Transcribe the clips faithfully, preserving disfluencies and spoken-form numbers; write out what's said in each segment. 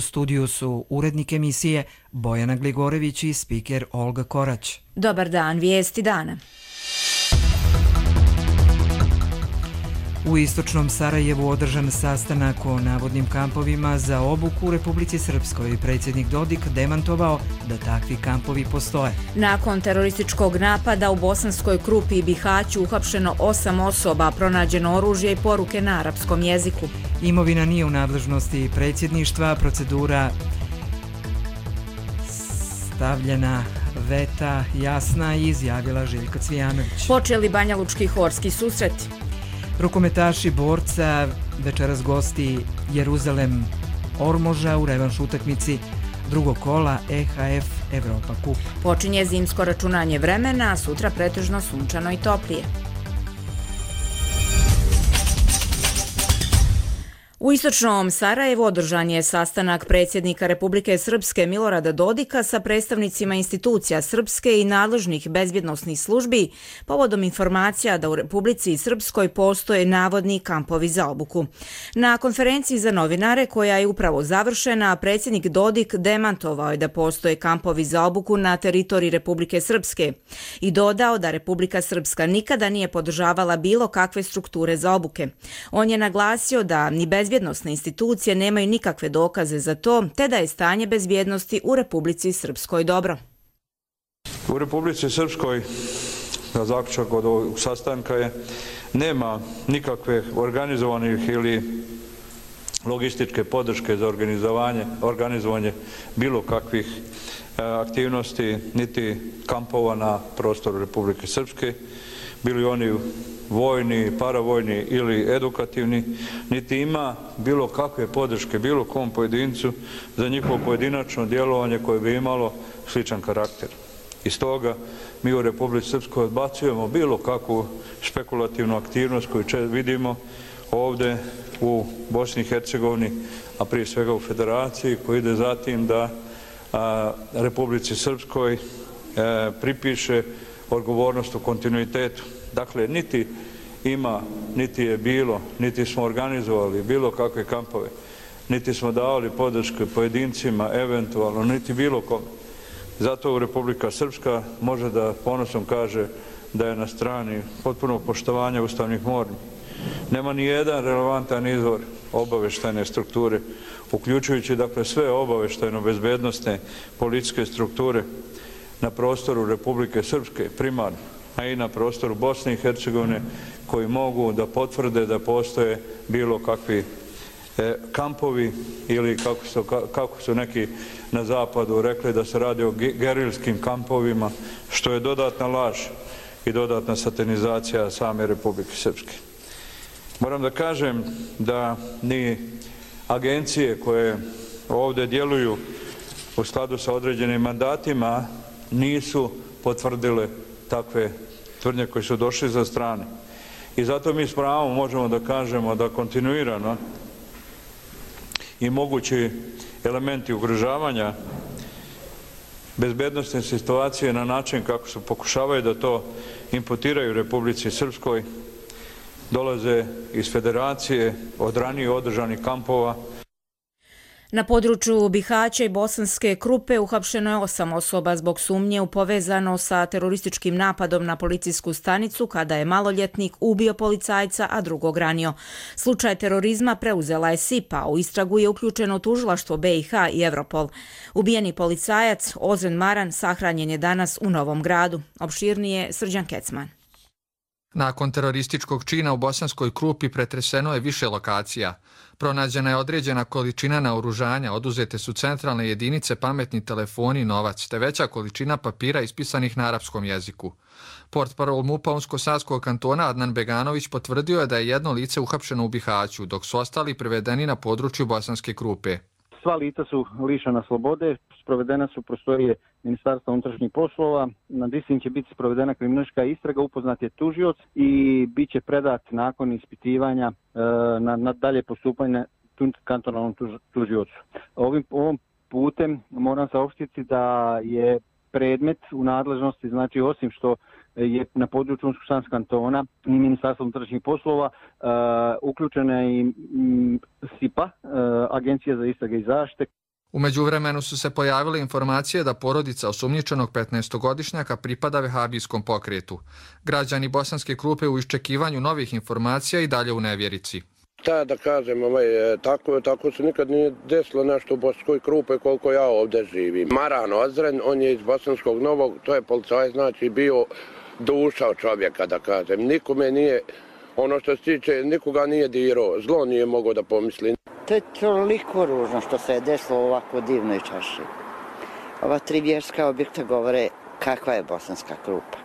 studiju su urednik emisije Bojana Gligorević i spiker Olga Korać. Dobar dan, vijesti dana. U istočnom Sarajevu održan sastanak o navodnim kampovima za obuku u Republici Srpskoj. Predsjednik Dodik demantovao da takvi kampovi postoje. Nakon terorističkog napada u Bosanskoj Krupi i Bihaću uhapšeno osam osoba, pronađeno oružje i poruke na arapskom jeziku. Imovina nije u nadležnosti predsjedništva, procedura stavljena veta jasna, izjavila Željka Cvijanović. Počeli Banjalučki horski susreti. Rukometaši Borca večeras gosti Jeruzalem Ormoža u revanš utakmici drugog kola E H F Evropa Kup. Počinje zimsko računanje vremena, a sutra pretežno sunčano i toplije. U istočnom Sarajevu održan je sastanak predsjednika Republike Srpske Milorada Dodika sa predstavnicima institucija Srpske i nadležnih bezbjednosnih službi povodom informacija da u Republici Srpskoj postoje navodni kampovi za obuku. Na konferenciji za novinare, koja je upravo završena, predsjednik Dodik demantovao je da postoje kampovi za obuku na teritoriji Republike Srpske i dodao da Republika Srpska nikada nije podržavala bilo kakve strukture za obuke. On je naglasio da ni bez bezbjednosne institucije nemaju nikakve dokaze za to, te da je stanje bezbjednosti u Republici Srpskoj dobro. U Republici Srpskoj, na zaključak od ovog sastanka je, nema nikakve organizovanih ili logističke podrške za organizovanje, organizovanje bilo kakvih aktivnosti, niti kampova na prostoru Republike Srpske, bili oni vojni, paravojni ili edukativni, niti ima bilo kakve podrške bilo kom pojedincu za njihovo pojedinačno djelovanje koje bi imalo sličan karakter. Iz toga mi u Republici Srpskoj odbacujemo bilo kakvu špekulativnu aktivnost koju vidimo ovdje u Bosni i Hercegovini, a prije svega u Federaciji, koji ide za tim da a, Republici Srpskoj e, pripiše odgovornost u kontinuitetu. Dakle, niti ima, niti je bilo, niti smo organizovali bilo kakve kampove, niti smo davali podrške pojedincima, eventualno, niti bilo kome. Zato Republika Srpska može da ponosom kaže da je na strani potpunog poštovanja ustavnih normi. Nema ni jedan relevantan izvor obavještajne strukture, uključujući dakle sve obavještajno-bezbednosne policijske strukture na prostoru Republike Srpske primarno, a i na prostoru Bosne i Hercegovine, koji mogu da potvrde da postoje bilo kakvi e, kampovi ili kako su, kako su neki na zapadu rekli da se radi o gerilskim kampovima, što je dodatna laž i dodatna satanizacija same Republike Srpske. Moram da kažem da ni agencije koje ovdje djeluju u skladu sa određenim mandatima nisu potvrdile takve tvrdnje koje su došli za strane. I zato mi s pravom možemo da kažemo da kontinuirano i mogući elementi ugrožavanja bezbednosne situacije na način kako se pokušavaju da to imputiraju Republici Srpskoj dolaze iz Federacije od ranije održanih kampova. Na području Bihaća i Bosanske Krupe uhapšeno je osam osoba zbog sumnje u povezano sa terorističkim napadom na policijsku stanicu kada je maloljetnik ubio policajca, a drugog ranio. Slučaj terorizma preuzela je S I P, a u istragu je uključeno tužilaštvo B i H i Evropol. Ubijeni policajac Ozren Maran sahranjen je danas u Novom Gradu. Opširnije Srđan Kecman. Nakon terorističkog čina u Bosanskoj Krupi pretreseno je više lokacija. Pronađena je određena količina naoružanja, oduzete su centralne jedinice, pametni telefoni i novac, te veća količina papira ispisanih na arapskom jeziku. Portparol MUP-a Unsko-Sanskog kantona Adnan Beganović potvrdio je da je jedno lice uhapšeno u Bihaću, dok su ostali privedeni na području Bosanske Krupe. Sva lica su lišena slobode, sprovedena su prostorije Ministarstva unutrašnjih poslova, nad istim će biti sprovedena kriminalistička istraga, upoznat je tužioc i bit će predat nakon ispitivanja e, na, na dalje postupanje kantonalnom tuž, tužiocu. Ovim, ovom putem moram saopštiti da je predmet u nadležnosti, znači osim što je na području Unsko-Sanskog kantona i Ministarstva unutrašnjih poslova uh, uključena i um, S I P A, uh, Agencija za istrage i zaštite. U međuvremenu su se pojavile informacije da porodica osumnjičenog petnaestogodišnjaka pripada vehabijskom pokretu. Građani Bosanske Krupe u iščekivanju novih informacija i dalje u nevjerici. Ta da kažem, ovaj, tako, tako se nikad nije desilo nešto u Bosanskoj Krupe koliko ja ovdje živim. Maran Ozren, on je iz Bosanskog Novog, to je policajac, znači bio duša od čovjeka, da kažem. Nikome nije, ono što se tiče, nikoga nije dirao, zlo nije mogao da pomisli. To je toliko ružno što se je desilo u ovako divnoj čaši. Ova tri vjerska objekta govore kakva je Bosanska Krupa.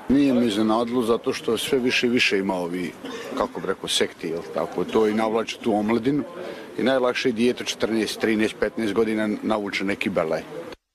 Nije mi iznenadilo zato što sve više i više ima ovi, kako bi rekao, sekti, jel tako, to i navlače tu omladinu i najlakše je dijete četrnaest, trinaest, petnaest godina navuče neki belaj.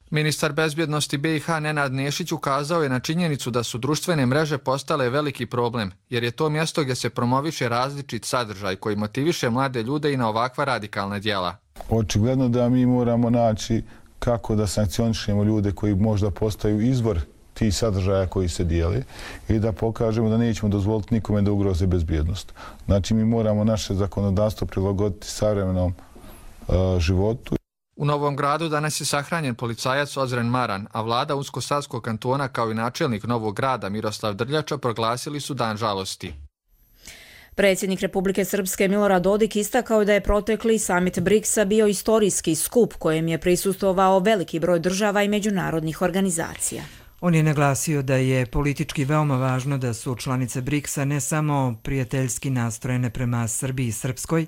Ministar bezbjednosti B i H Nenad Nešić ukazao je na činjenicu da su društvene mreže postale veliki problem, jer je to mjesto gdje se promoviše različit sadržaj koji motiviše mlade ljude i na ovakva radikalna djela. Očigledno da mi moramo naći kako da sankcionišemo ljude koji možda postaju izvor tih sadržaja koji se dijeli i da pokažemo da nećemo dozvoliti nikome da ugroze bezbjednost. Znači mi moramo naše zakonodavstvo prilagoditi savremenom uh, životu. U Novom Gradu danas je sahranjen policajac Ozren Maran, a vlada Unsko-Savskog kantona kao i načelnik Novog Grada Miroslav Drljača proglasili su dan žalosti. Predsjednik Republike Srpske Milorad Dodik istakao da je protekli samit briksa bio istorijski skup kojem je prisustvovao veliki broj država i međunarodnih organizacija. On je naglasio da je politički veoma važno da su članice briksa ne samo prijateljski nastrojene prema Srbiji i Srpskoj,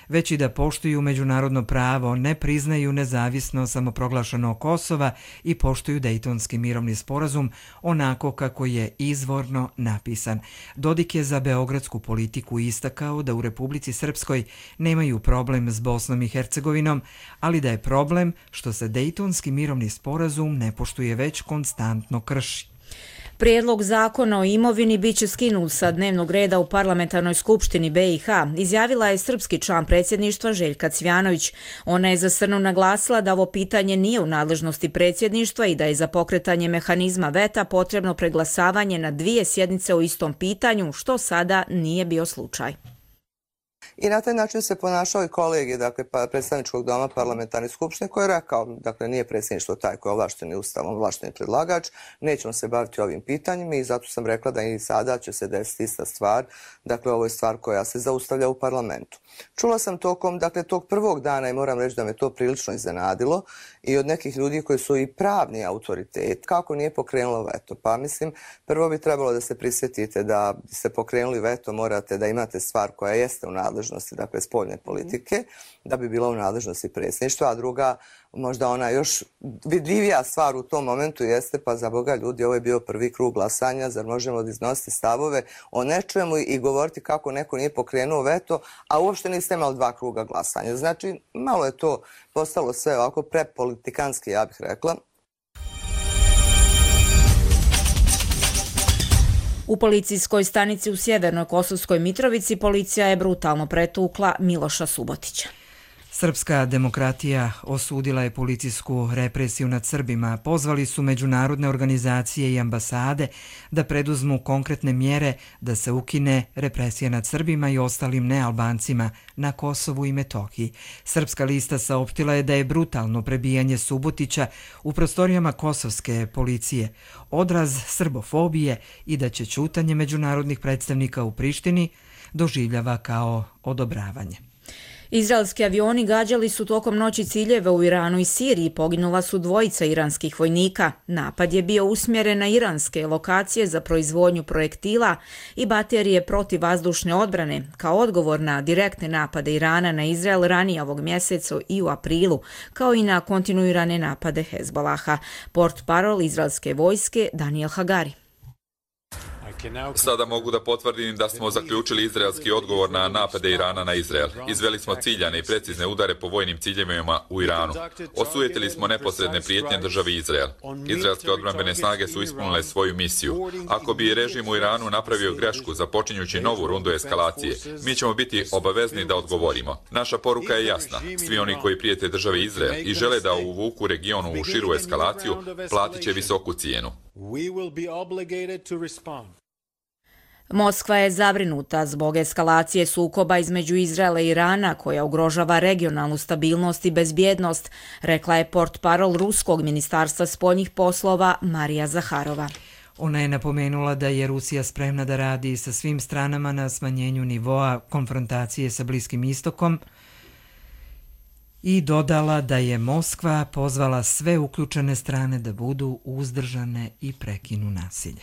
već i da poštuju međunarodno pravo, ne priznaju nezavisno samoproglašeno Kosova i poštuju Dejtonski mirovni sporazum onako kako je izvorno napisan. Dodik je za beogradsku politiku istakao da u Republici Srpskoj nemaju problem s Bosnom i Hercegovinom, ali da je problem što se Dejtonski mirovni sporazum ne poštuje već konstantno krši. Prijedlog zakona o imovini biće skinut sa dnevnog reda u parlamentarnoj skupštini B i H, izjavila je srpski član predsjedništva Željka Cvjanović. Ona je za Srnu naglasila da ovo pitanje nije u nadležnosti predsjedništva i da je za pokretanje mehanizma veta potrebno preglasavanje na dvije sjednice o istom pitanju, što sada nije bio slučaj. I na taj način se ponašao i kolegi, dakle, predstavničkog doma parlamentarne skupštine koji je rekao, dakle, nije predsjedništvo taj koji je ovlašteni ustavom, ovlašteni predlagač, nećemo se baviti ovim pitanjima i zato sam rekla da i sada će se desiti ista stvar, dakle, ovo je stvar koja se zaustavlja u parlamentu. Čula sam tokom, dakle, tog prvog dana i moram reći da me to prilično iznenadilo i od nekih ljudi koji su i pravni autoritet, kako nije pokrenulo veto. Pa mislim, prvo bi trebalo da se prisjetite da ste pokrenuli veto, morate da imate stvar koja jeste u nadležnosti, dakle spoljne politike, da bi bila u nadležnosti predsjedništva, a druga, možda ona još vidljivija stvar u tom momentu jeste, pa za Boga ljudi, ovo je bio prvi krug glasanja, zar možemo da iznositi stavove o nečemu i govoriti kako neko nije pokrenuo veto, a uopšte niste imali dva kruga glasanja. Znači, malo je to postalo sve ovako prepolitikanski, ja bih rekla. U policijskoj stanici u Sjevernoj Kosovskoj Mitrovici policija je brutalno pretukla Miloša Subotića. Srpska demokratija osudila je policijsku represiju nad Srbima. Pozvali su međunarodne organizacije i ambasade da preduzmu konkretne mjere da se ukine represija nad Srbima i ostalim nealbancima na Kosovu i Metohiji. Srpska lista saopštila je da je brutalno prebijanje Subotića u prostorijama kosovske policije odraz srbofobije i da će ćutanje međunarodnih predstavnika u Prištini doživljava kao odobravanje. Izraelski avioni gađali su tokom noći ciljeve u Iranu i Siriji, poginula su dvojica iranskih vojnika. Napad je bio usmjeren na iranske lokacije za proizvodnju projektila i baterije protivvazdušne odbrane, kao odgovor na direktne napade Irana na Izrael ranije ovog mjeseca i u aprilu, kao i na kontinuirane napade Hezbolaha. Portparol izraelske vojske Daniel Hagari. Sada mogu da potvrdim da smo zaključili izraelski odgovor na napade Irana na Izrael. Izveli smo ciljane i precizne udare po vojnim ciljevima u Iranu. Osujetili smo neposredne prijetnje državi Izrael. Izraelske odbrambene snage su ispunile svoju misiju. Ako bi režim u Iranu napravio grešku započinjući novu rundu eskalacije, mi ćemo biti obavezni da odgovorimo. Naša poruka je jasna. Svi oni koji prijete državi Izrael i žele da uvuku regionu u širu eskalaciju, platit će visoku cijenu. Moskva je zabrinuta zbog eskalacije sukoba između Izraela i Irana koja ugrožava regionalnu stabilnost i bezbjednost, rekla je portparol Ruskog ministarstva spoljnih poslova Marija Zaharova. Ona je napomenula da je Rusija spremna da radi sa svim stranama na smanjenju nivoa konfrontacije sa Bliskim istokom i dodala da je Moskva pozvala sve uključene strane da budu uzdržane i prekinu nasilje.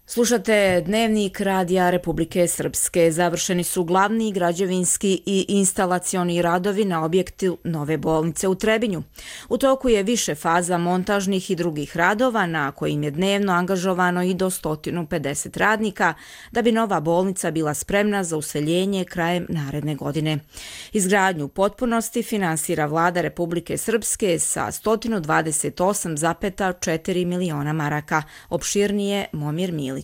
Slušate Dnevnik Radija Republike Srpske. Završeni su glavni građevinski i instalacioni radovi na objektu nove bolnice u Trebinju. U toku je više faza montažnih i drugih radova na kojim je dnevno angažovano i do sto pedeset radnika da bi nova bolnica bila spremna za useljenje krajem naredne godine. Izgradnju u potpunosti finansira Vlada Republike Srpske sa sto dvadeset osam zarez četiri miliona maraka. Opširnije Momir Milić.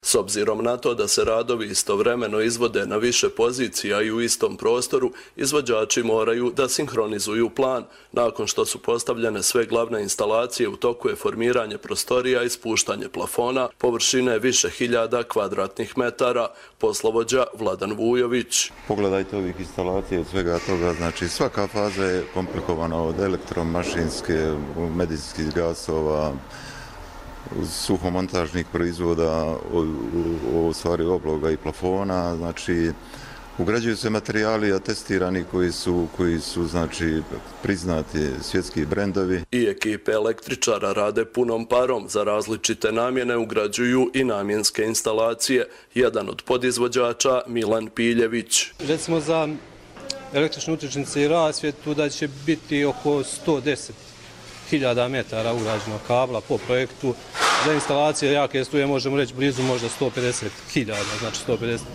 S obzirom na to da se radovi istovremeno izvode na više pozicija i u istom prostoru, izvođači moraju da sinhronizuju plan. Nakon što su postavljene sve glavne instalacije, u toku je formiranje prostorija i spuštanje plafona, površine više hiljada kvadratnih metara. Poslovođa Vladan Vujović. Pogledajte ovih instalacija i svega toga, znači svaka faza je komplikovana od elektromašinske, medicinskih gasova, suhomontažnih proizvoda, u stvari obloga i plafona, znači ugrađuju se materijali atestirani koji su, koji su znači priznati svjetski brendovi. I ekipe električara rade punom parom, za različite namjene ugrađuju i namjenske instalacije. Jedan od podizvođača Milan Piljević. Recimo za električne utičnice i rasvjetu da će biti oko sto deset hiljada metara ugrađenog kabla po projektu. Za instalacije jake struje možemo reći blizu možda sto pedeset hiljada, znači sto pedeset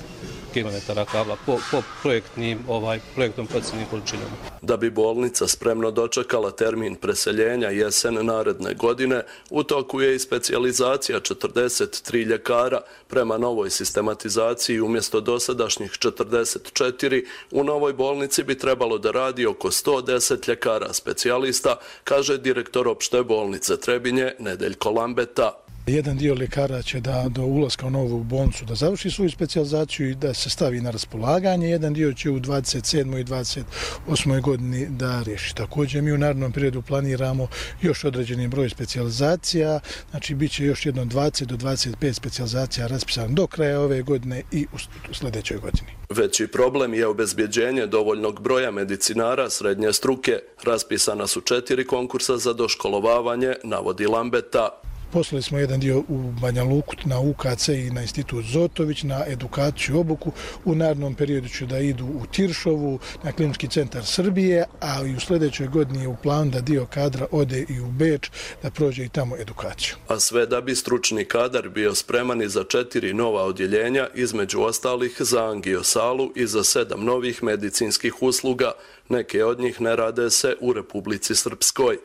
kilometara kabla po, po projektnim, ovaj, projektom procjenim količinama. Da bi bolnica spremno dočekala termin preseljenja jesen naredne godine, u toku je i specijalizacija četrdeset tri ljekara. Prema novoj sistematizaciji umjesto dosadašnjih četrdeset četiri, u novoj bolnici bi trebalo da radi oko sto deset ljekara specijalista, kaže direktor opšte bolnice Trebinje Nedeljko Lambeta. Jedan dio ljekara će da do ulaska u novu bolnicu da završi svoju specijalizaciju i da se stavi na raspolaganje. Jedan dio će u dvadeset sedmoj i dvadeset osmoj godini da riješi. Također mi u narednom periodu planiramo još određeni broj specijalizacija. Znači bit će još jedno dvadeset do dvadeset pet specijalizacija raspisano do kraja ove godine i u sljedećoj godini. Veći problem je obezbjeđenje dovoljnog broja medicinara srednje struke. Raspisana su četiri konkursa za doškolovavanje, navodi Lambeta. Poslali smo jedan dio u Banja Luku na U K C i na institut Zotović, na edukaciju i obuku. U narednom periodu će da idu u Tiršovu, na Klinički centar Srbije, a i u sljedećoj godini je u planu da dio kadra ode i u Beč, da prođe i tamo edukaciju. A sve da bi stručni kadar bio spreman i za četiri nova odjeljenja, između ostalih za angiosalu i za sedam novih medicinskih usluga. Neke od njih ne rade se u Republici Srpskoj.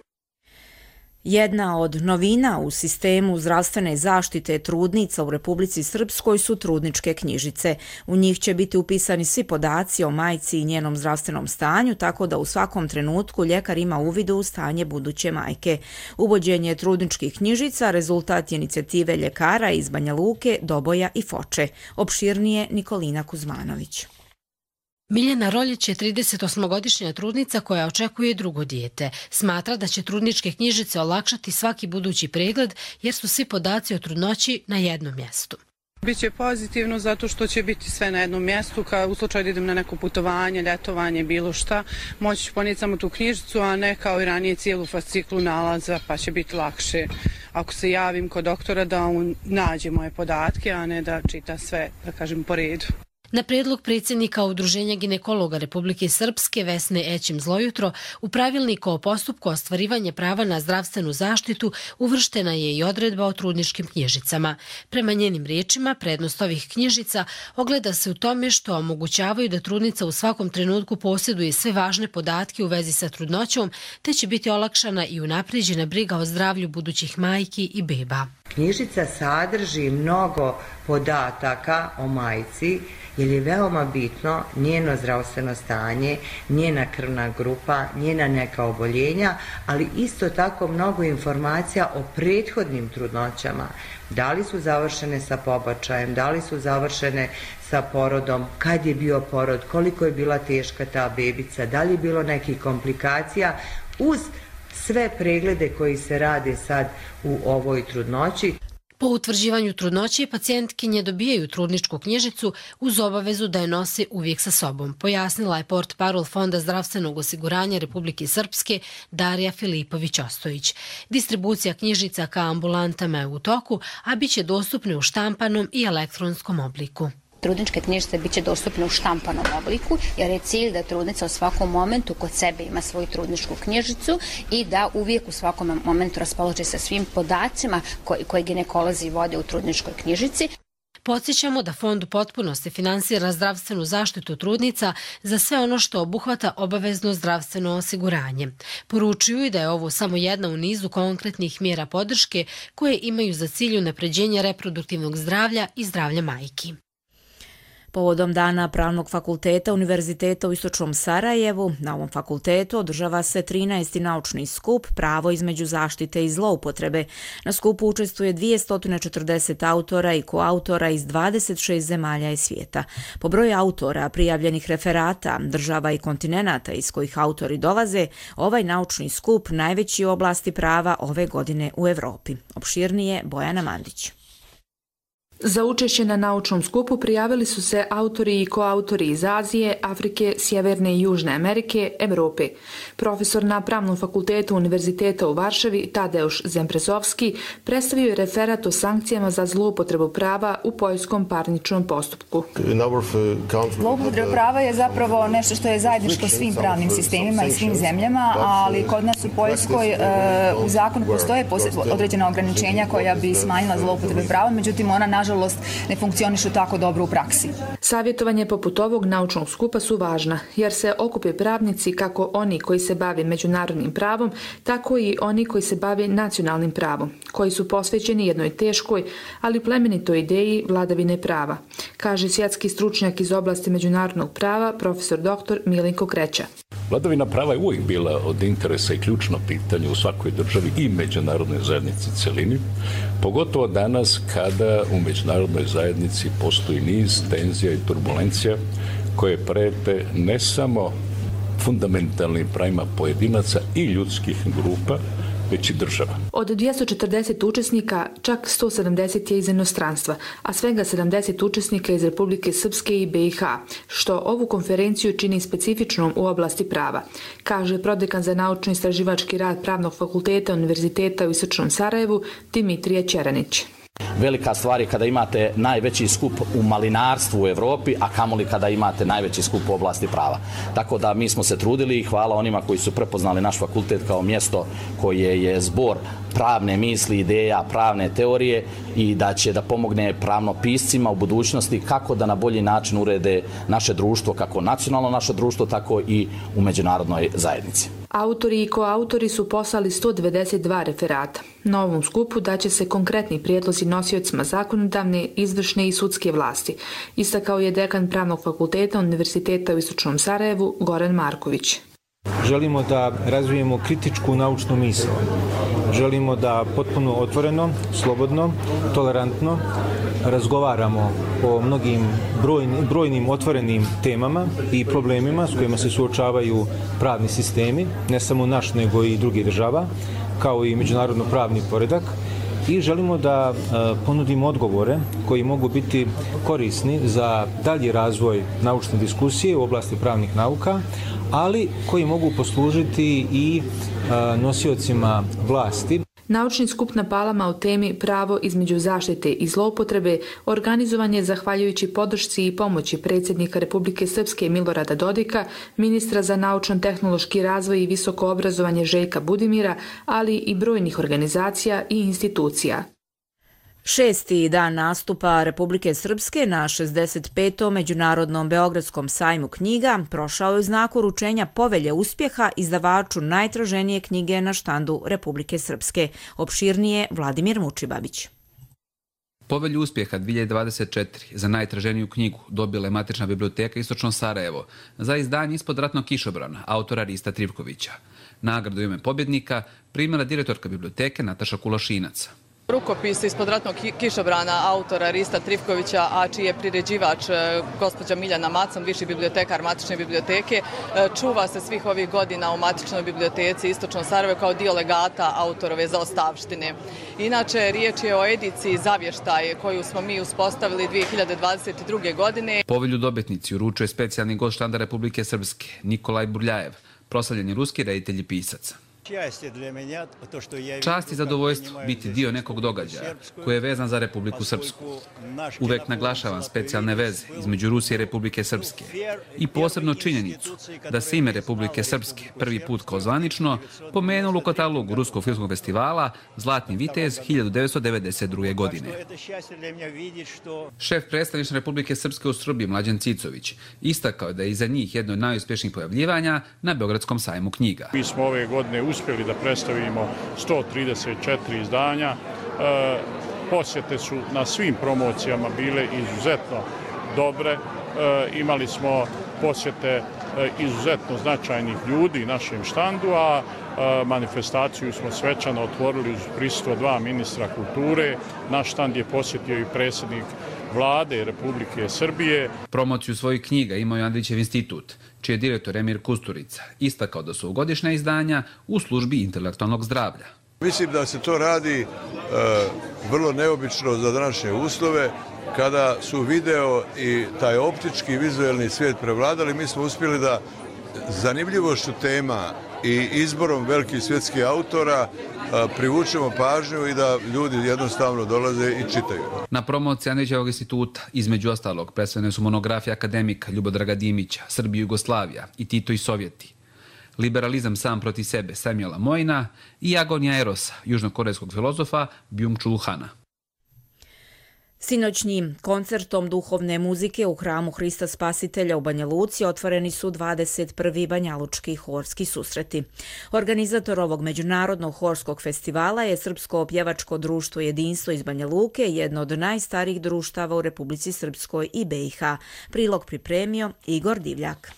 Jedna od novina u sistemu zdravstvene zaštite trudnica u Republici Srpskoj su trudničke knjižice. U njih će biti upisani svi podaci o majci i njenom zdravstvenom stanju, tako da u svakom trenutku ljekar ima uvid u stanje buduće majke. Uvođenje trudničkih knjižica rezultat je inicijative ljekara iz Banja Luke, Doboja i Foče. Opširnije Nikolina Kuzmanović. Miljana Roljić je tridesetosmogodišnja trudnica koja očekuje drugo dijete. Smatra da će trudničke knjižice olakšati svaki budući pregled jer su svi podaci o trudnoći na jednom mjestu. Biće pozitivno zato što će biti sve na jednom mjestu, kao u slučaju da idem na neko putovanje, ljetovanje, bilo šta, moći ću ponijeti samo tu knjižicu, a ne kao i ranije cijelu fasciklu nalaza, pa će biti lakše ako se javim kod doktora da on nađe moje podatke, a ne da čita sve, da kažem, po redu. Na prijedlog predsjednika Udruženja ginekologa Republike Srpske Vesne Ećim Zlojutro, u pravilniku o postupku ostvarivanja prava na zdravstvenu zaštitu uvrštena je i odredba o trudničkim knjižicama. Prema njenim riječima, prednost ovih knjižica ogleda se u tome što omogućavaju da trudnica u svakom trenutku posjeduje sve važne podatke u vezi sa trudnoćom, te će biti olakšana i unaprijeđena briga o zdravlju budućih majki i beba. Knjižica sadrži mnogo podataka o majci jer je veoma bitno njeno zdravstveno stanje, njena krvna grupa, njena neka oboljenja, ali isto tako mnogo informacija o prethodnim trudnoćama. Da li su završene sa pobačajem, da li su završene sa porodom, kad je bio porod, koliko je bila teška ta bebica, da li je bilo nekih komplikacija, uz sve preglede koji se rade sad u ovoj trudnoći. Po utvrđivanju trudnoće, pacijentkinje dobijaju trudničku knjižicu uz obavezu da je nose uvijek sa sobom, pojasnila je portparol Fonda zdravstvenog osiguranja Republike Srpske Darija Filipović-Ostojić. Distribucija knjižica ka ambulantama je u toku, a bit će dostupne u štampanom i elektronskom obliku. Trudničke knjižice biće dostupne u štampanom obliku, jer je cilj da trudnica u svakom momentu kod sebe ima svoju trudničku knjižicu i da uvijek u svakom momentu raspolaže sa svim podacima koji, koji ginekolozi vode u trudničkoj knjižici. Podsjećamo da Fond u potpunosti finansira zdravstvenu zaštitu trudnica za sve ono što obuhvata obavezno zdravstveno osiguranje. Poručuju i da je ovo samo jedna u nizu konkretnih mjera podrške koje imaju za cilj unapređenje reproduktivnog zdravlja i zdravlja majki. Povodom Dana Pravnog fakulteta Univerziteta u Istočnom Sarajevu, na ovom fakultetu održava se trinaesti naučni skup Pravo između zaštite i zloupotrebe. Na skupu učestvuje dvjesto četrdeset autora i koautora iz dvadeset šest zemalja i svijeta. Po broju autora, prijavljenih referata, država i kontinenata iz kojih autori dolaze, ovaj naučni skup najveći u oblasti prava ove godine u Evropi. Opširnije Bojana Mandić. Za učešće na naučnom skupu prijavili su se autori i koautori iz Azije, Afrike, Sjeverne i Južne Amerike, Evrope. Profesor na Pravnom fakultetu Univerziteta u Varšavi, Tadeusz Zemprezovski, predstavio je referat o sankcijama za zloupotrebu prava u poljskom parničnom postupku. Zloupotreba prava je zapravo nešto što je zajedničko svim pravnim sistemima i svim zemljama, ali kod nas u Poljskoj u zakonu postoje određena ograničenja koja bi smanjila zloupotrebe prava, međutim ona nažalost ne funkcionišu tako dobro u praksi. Savjetovanje poput ovog naučnog skupa su važna, jer se okupe pravnici kako oni koji se bave međunarodnim pravom, tako i oni koji se bave nacionalnim pravom, koji su posvećeni jednoj teškoj, ali plemenitoj ideji vladavine prava, kaže svjetski stručnjak iz oblasti međunarodnog prava, profesor doktor Milenko Kreća. Vladavina prava je uvijek bila od interesa i ključno pitanje u svakoj državi i međunarodnoj zajednici celini, pogotovo danas kada u međunarodnoj zajednici postoji niz tenzija i turbulencija koje prete ne samo fundamentalnim pravima pojedinaca i ljudskih grupa, već i država. Od dvjesto četrdeset učesnika, čak sto sedamdeset je iz inostranstva, a svega sedamdeset učesnika iz Republike Srpske i be i ha, što ovu konferenciju čini specifičnom u oblasti prava, kaže prodekan za naučno-istraživački rad Pravnog fakulteta Univerziteta u Istočnom Sarajevu Dimitrije Ćeranić. Velika stvar je kada imate najveći skup u malinarstvu u Evropi, a kamoli kada imate najveći skup u oblasti prava. Tako da mi smo se trudili i hvala onima koji su prepoznali naš fakultet kao mjesto koje je zbor pravne misli, ideja, pravne teorije i da će da pomogne pravnopiscima u budućnosti kako da na bolji način urede naše društvo, kako nacionalno naše društvo, tako i u međunarodnoj zajednici. Autori i koautori su poslali sto devedeset dva referata. Na ovom skupu daće se konkretni prijedlozi nosiocima zakonodavne, izvršne i sudske vlasti, istakao je dekan Pravnog fakulteta Univerziteta u Istočnom Sarajevu Goran Marković. Želimo da razvijemo kritičku naučnu misao. Želimo da potpuno otvoreno, slobodno, tolerantno razgovaramo o mnogim brojnim, brojnim otvorenim temama i problemima s kojima se suočavaju pravni sistemi, ne samo naš nego i drugih država, kao i međunarodno pravni poredak. I želimo da ponudimo odgovore koji mogu biti korisni za dalji razvoj naučne diskusije u oblasti pravnih nauka, ali koji mogu poslužiti i nosiocima vlasti. Naučni skup na Palama o temi Pravo između zaštite i zloupotrebe organizovan je zahvaljujući podršci i pomoći predsjednika Republike Srpske Milorada Dodika, ministra za naučno-tehnološki razvoj i visoko obrazovanje Željka Budimira, ali i brojnih organizacija i institucija. Šesti dan nastupa Republike Srpske na šezdeset petom Međunarodnom Beogradskom sajmu knjiga prošao je u znaku uručenja Povelje uspjeha izdavaču najtraženije knjige na štandu Republike Srpske. Opširnije Vladimir Mučibabić. Povelju uspjeha dvije hiljade dvadeset četiri za najtraženiju knjigu dobila je Matična biblioteka Istočno Sarajevo za izdanje Ispod ratnog kišobrana autora Rista Trivkovića. Nagradu u ime pobjednika primila direktorka biblioteke Nataša Kulašinac. Rukopis Ispod ratnog kišobrana autora Rista Trivkovića, a čiji je priređivač gospođa Miljana Macon, viši bibliotekar Matične biblioteke, čuva se svih ovih godina u Matičnoj biblioteci Istočno Sarajevo kao dio legata autorove zaostavštine. Inače, riječ je o ediciji Zavještaj koju smo mi uspostavili dvije hiljade dvadeset druge. godine. Povelju dobitnici uručuje specijalni gost štanda Republike Srpske Nikolaj Burljajev, proslavljeni ruski reditelj i pisac. Čast i zadovoljstvo biti dio nekog događaja koji je vezan za Republiku Srpsku. Uvek naglašavam specijalne veze između Rusije i Republike Srpske i posebno činjenicu da se ime Republike Srpske prvi put kao zvanično pomenulo u katalogu Ruskog filmskog festivala Zlatni vitez hiljadu devetsto devedeset druge. godine. Šef predstavništva Republike Srpske u Srbiji Mlađan Cicović istakao je da je iza njih jedno od najuspješnijih pojavljivanja na Beogradskom sajmu knjiga. Mi smo ove godine uspjeli da predstavimo sto trideset četiri izdanja. E, posjete su na svim promocijama bile izuzetno dobre. E, imali smo posjete e, izuzetno značajnih ljudi našem štandu, a e, manifestaciju smo svečano otvorili uz prisustvo dva ministra kulture. Naš štand je posjetio i predsjednik Vlade Republike Srbije. Promociju svojih knjiga imao je Andrićev institut, čiji je direktor Emir Kusturica istakao da su godišnja izdanja u službi intelektualnog zdravlja. Mislim da se to radi e, vrlo neobično za današnje uslove, kada su video i taj optički vizualni svijet prevladali. Mi smo uspjeli da zanimljivošću tema i izborom velikih svjetskih autora privučemo pažnju i da ljudi jednostavno dolaze i čitaju. Na promociji Andrićevog instituta, između ostalog, predstavljene su monografije akademika Ljubodraga Dimića, Srbija i Jugoslavija i Tito i Sovjeti, Liberalizam sam protiv sebe Samuela Mojna i Agonija Erosa, južnokorejskog filozofa Byung-Chul Hana. Sinoćnim koncertom duhovne muzike u hramu Hrista Spasitelja u Banja Luci otvoreni su dvadeset prvi banjalučki horski susreti. Organizator ovog međunarodnog horskog festivala je Srpsko pjevačko društvo Jedinstvo iz Banja Luke, jedno od najstarijih društava u Republici Srpskoj i B i H. Prilog pripremio Igor Divljak.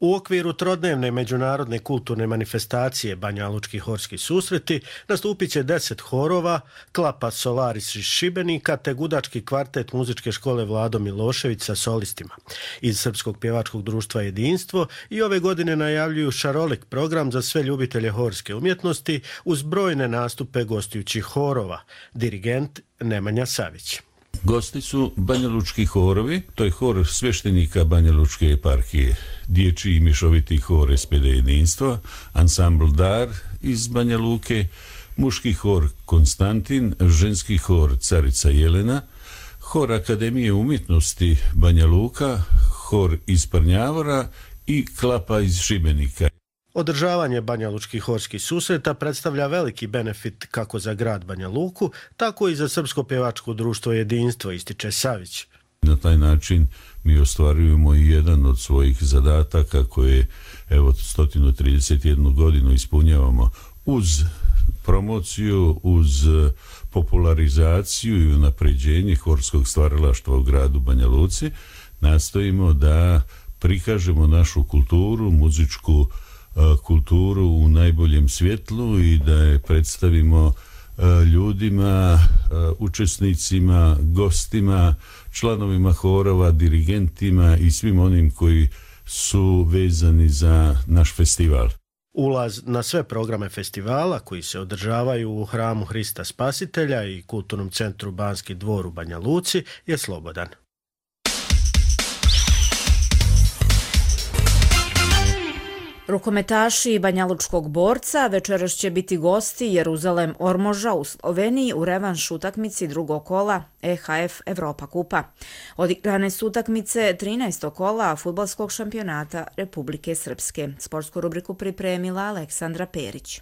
U okviru trodnevne međunarodne kulturne manifestacije Banjalučki horski susreti nastupit će deset horova, klapa Solaris iz Šibenika te gudački kvartet muzičke škole Vlado Milošević sa solistima. Iz Srpskog pjevačkog društva Jedinstvo i ove godine najavljuju šarolik program za sve ljubitelje horske umjetnosti uz brojne nastupe gostujućih horova. Dirigent Nemanja Savić. Gosti su banjalučki horovi, to je hor sveštenika Banjalučke eparhije, dječji i mješoviti hor S P D Jedinstva, ansambl Dar iz Banja Luke, muški hor Konstantin, ženski hor Carica Jelena, hor Akademije umjetnosti Banja Luka, hor iz Prnjavora i klapa iz Šibenika. Održavanje banjalučkih horskih susreta predstavlja veliki benefit kako za grad Banja Luku, tako i za Srpsko pjevačko društvo Jedinstvo, ističe Savić. Na taj način mi ostvarujemo i jedan od svojih zadataka koje evo sto trideset jednu godinu ispunjavamo uz promociju, uz popularizaciju i unapređenje horskog stvaralaštva u gradu Banja Luci. Nastojimo da prikažemo našu kulturu, muzičku kulturu u najboljem svjetlu i da je predstavimo ljudima, učesnicima, gostima, članovima horova, dirigentima i svim onim koji su vezani za naš festival. Ulaz na sve programe festivala koji se održavaju u hramu Hrista Spasitelja i Kulturnom centru Banski dvor u Banja Luci je slobodan. Rukometaši Banjalučkog borca večeras će biti gosti Jeruzalem Ormoža u Sloveniji u revanš utakmici drugog kola E H F Evropa kupa. Odigrane su utakmice trinaestog kola fudbalskog šampionata Republike Srpske. Sportsku rubriku pripremila Aleksandra Perić.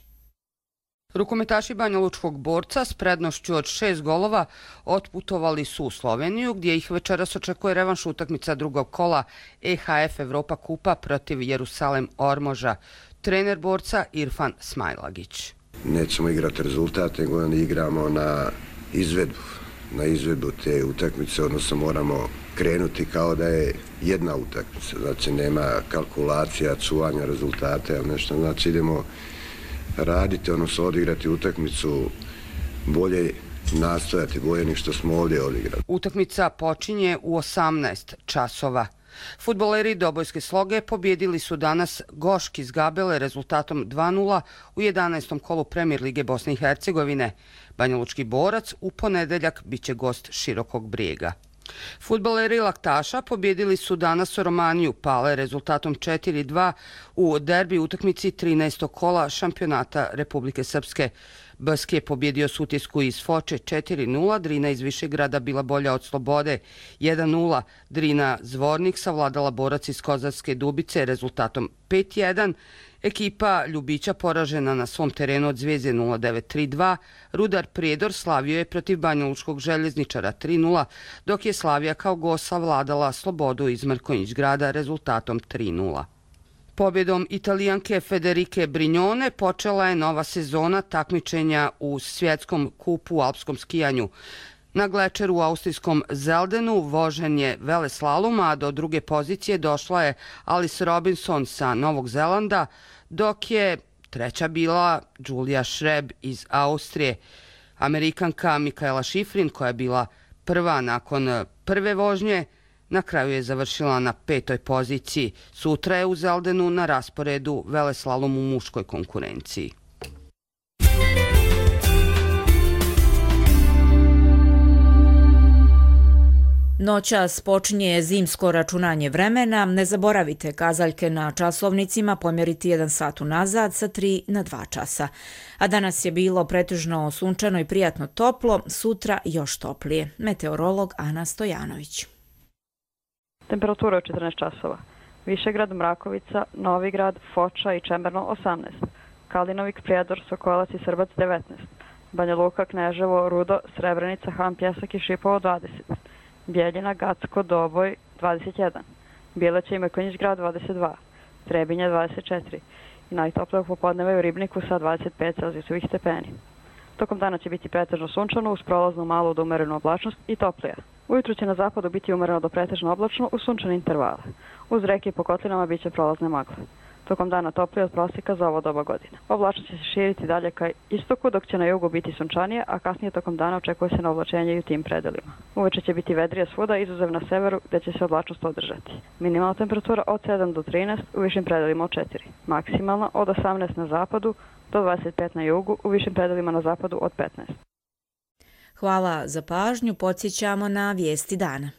Rukometaši Banjalučkog borca s prednošću od šest golova otputovali su u Sloveniju, gdje ih večeras očekuje revanš utakmica drugog kola E H F Evropa kupa protiv Jerusalem Ormoža. Trener borca Irfan Smajlagić. Nećemo igrati rezultat, nego igramo na izvedbu. na izvedbu te utakmice, odnosno moramo krenuti kao da je jedna utakmica. Znači nema kalkulacija, cuvanja rezultate, ali nešto. Znači idemo raditi, odnosno odigrati utakmicu bolje, nastojati bolje nego što smo ovdje odigrali. Utakmica počinje u osamnaest časova. Fudbaleri Dobojske Sloge pobjedili su danas Gošk iz Gabele rezultatom dva nula u jedanaestom kolu Premier lige Bosne i Hercegovine. Banjalučki Borac u ponedeljak biće gost Širokog Brijega. Fudbaleri Laktaša pobjedili su danas Romaniju Pale rezultatom četiri dva u derbi utakmici trinaestog kola šampionata Republike Srpske. B S K je pobjedio Sutjesku iz Foče četiri nula, Drina iz Višegrada bila bolja od Slobode jedan nula, Drina Zvornik savladala Borac iz Kozarske Dubice rezultatom pet jedan, ekipa Ljubića poražena na svom terenu od Zvijezde nula devet tri dva, Rudar Prijedor slavio je protiv Banjalučkog željezničara tri nula, dok je Slavija kao gost savladala Slobodu iz Mrkonjić grada rezultatom tri nula. Pobjedom Italijanke Federike Brignone počela je nova sezona takmičenja u svjetskom kupu u alpskom skijanju. Na glečeru u austrijskom Zeldenu vožen je veleslalom, a do druge pozicije došla je Alice Robinson sa Novog Zelanda, dok je treća bila Julia Šreb iz Austrije. Amerikanka Mikaela Šifrin, koja je bila prva nakon prve vožnje, na kraju je završila na petoj poziciji. Sutra je u Zeldenu na rasporedu veleslalom u muškoj konkurenciji. Noćas počinje zimsko računanje vremena. Ne zaboravite kazaljke na časovnicima pomjeriti jedan sat unazad sa tri na dva časa. A danas je bilo pretežno sunčano i prijatno toplo, sutra još toplije. Meteorolog Ana Stojanović. Temperatura je četrnaest časova. Višegrad, Mrakovica, Novigrad, Foča i Čemerno osamnaest. Kalinovik, Prijedor, Sokolac i Srbac devetnaest. Banja Luka, Kneževo, Rudo, Srebrenica, Han Pjesak i Šipovo dvadeset. Bjeljina, Gacko, Doboj dvadeset jedan. Bileća i Mrkonjić grad dvadeset dva. Trebinja dvadeset četiri. I najtoplije popodneva u Ribniku sa dvadeset pet celzijusovih stepeni. Tokom dana će biti pretežno sunčano uz prolaznu malu do umerenu oblačnost i toplija. Ujutru će na zapadu biti umereno do pretežno oblačno uz sunčane intervale. Uz reke i po kotlinama bit će prolazne magle. Tokom dana toplije od prosjeka za ovo doba godine. Oblačnost će se širiti dalje ka istoku, dok će na jugu biti sunčanije, a kasnije tokom dana očekuje se na oblačenje i u tim predelima. Uveče će biti vedrije svuda, izuzev na severu, gdje će se oblačnost održati. Minimalna temperatura od sedam do trinaest, u višim predelima od četiri. Maksimalna od osamnaest na zapadu do dvadeset pet na jugu, u višim predelima na zapadu od petnaest. Hvala za pažnju, podsjećamo na vijesti dana.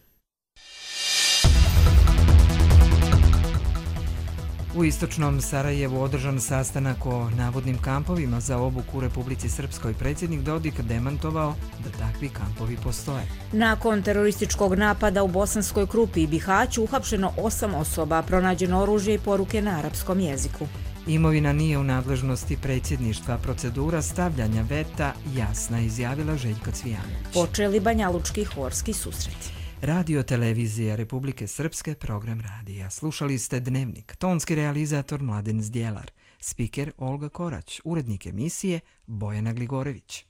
U istočnom Sarajevu održan sastanak o navodnim kampovima za obuku u Republici Srpskoj. Predsjednik Dodik demantovao da takvi kampovi postoje. Nakon terorističkog napada u Bosanskoj Krupi i Bihaću uhapšeno osam osoba, pronađeno oružje i poruke na arapskom jeziku. Imovina nije u nadležnosti predsjedništva, procedura stavljanja veta jasna, izjavila Željka Cvijanović. Počeli banjalučki horski susreti. Radio Televizija Republike Srpske, program radija. Slušali ste Dnevnik, tonski realizator Mladen Zdjelar, spiker Olga Korać, urednik emisije Bojana Gligorević.